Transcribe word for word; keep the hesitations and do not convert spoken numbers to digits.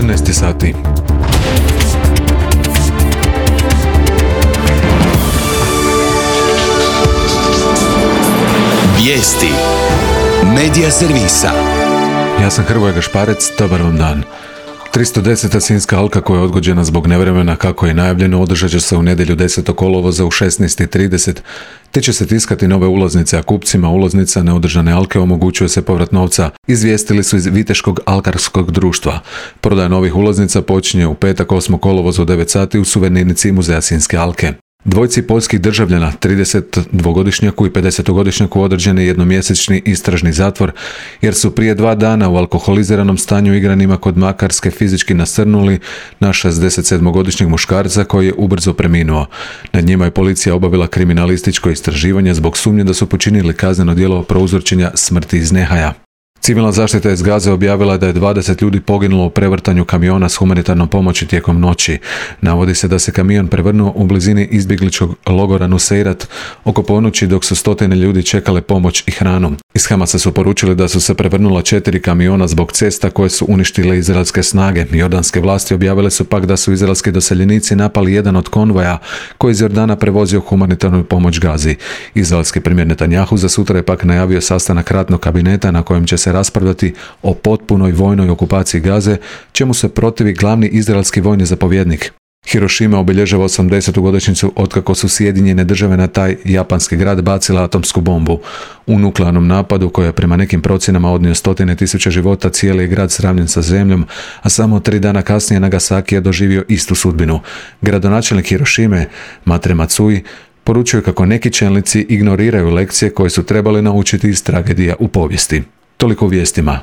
četrnaest sati. Vijesti Medija servisa. Ja sam Hrvoje Gašparec, dobar vam dan. tristo deseta Sinjska alka koja je odgođena zbog nevremena kako je najavljeno održat će se u nedjelju desetog kolovoza u šesnaest i trideset, te će se tiskati nove ulaznice, a kupcima ulaznica neodržane alke omogućuje se povrat novca, izvijestili su iz Viteškog alkarskog društva. Prodaja novih ulaznica počinje u petak osmog kolovoza u devet sati u suvenirnici Muzeja Sinjske alke. Dvojci poljskih državljana, tridesetdvogodišnjaku i pedesetogodišnjaku određen je jednomjesečni istražni zatvor jer su prije dva dana u alkoholiziranom stanju igranima kod Makarske fizički nasrnuli na šezdesetsedmogodišnjeg muškarca koji je ubrzo preminuo. Nad njima je policija obavila kriminalističko istraživanje zbog sumnje da su počinili kazneno djelo prouzročenja smrti iz nehaja. Civilna zaštita iz Gaze objavila da je dvadeset ljudi poginulo u prevrtanju kamiona s humanitarnom pomoći tijekom noći. Navodi se da se kamion prevrnuo u blizini izbjegličkog logora Nuseirat oko ponoći dok su stotine ljudi čekale pomoć i hranu. Iz Hamasa su poručili da su se prevrnula četiri kamiona zbog cesta koje su uništile izraelske snage. Jordanske vlasti objavile su pak da su izraelski doseljenici napali jedan od konvoja koji iz Jordana prevozio humanitarnu pomoć Gazi. Izraelski premijer Netanjahu za sutra je pak najavio sastanak ratnog kabineta na kojem će se raspravljati o potpunoj vojnoj okupaciji Gaze, čemu se protivi glavni izraelski vojni zapovjednik. Hirošima obilježava osamdesetu godišnjicu otkako su Sjedinjene države na taj japanski grad bacile atomsku bombu. U nuklearnom napadu koji je prema nekim procjenama odnio stotine tisuća života, cijeli je grad sravnjen sa zemljom, a samo tri dana kasnije Nagasaki je doživio istu sudbinu. Gradonačelnik Hirošime, Matre Matsui, poručuje kako neki čelnici ignoriraju lekcije koje su trebali naučiti iz tragedija u povijesti. Toliko u vijestima.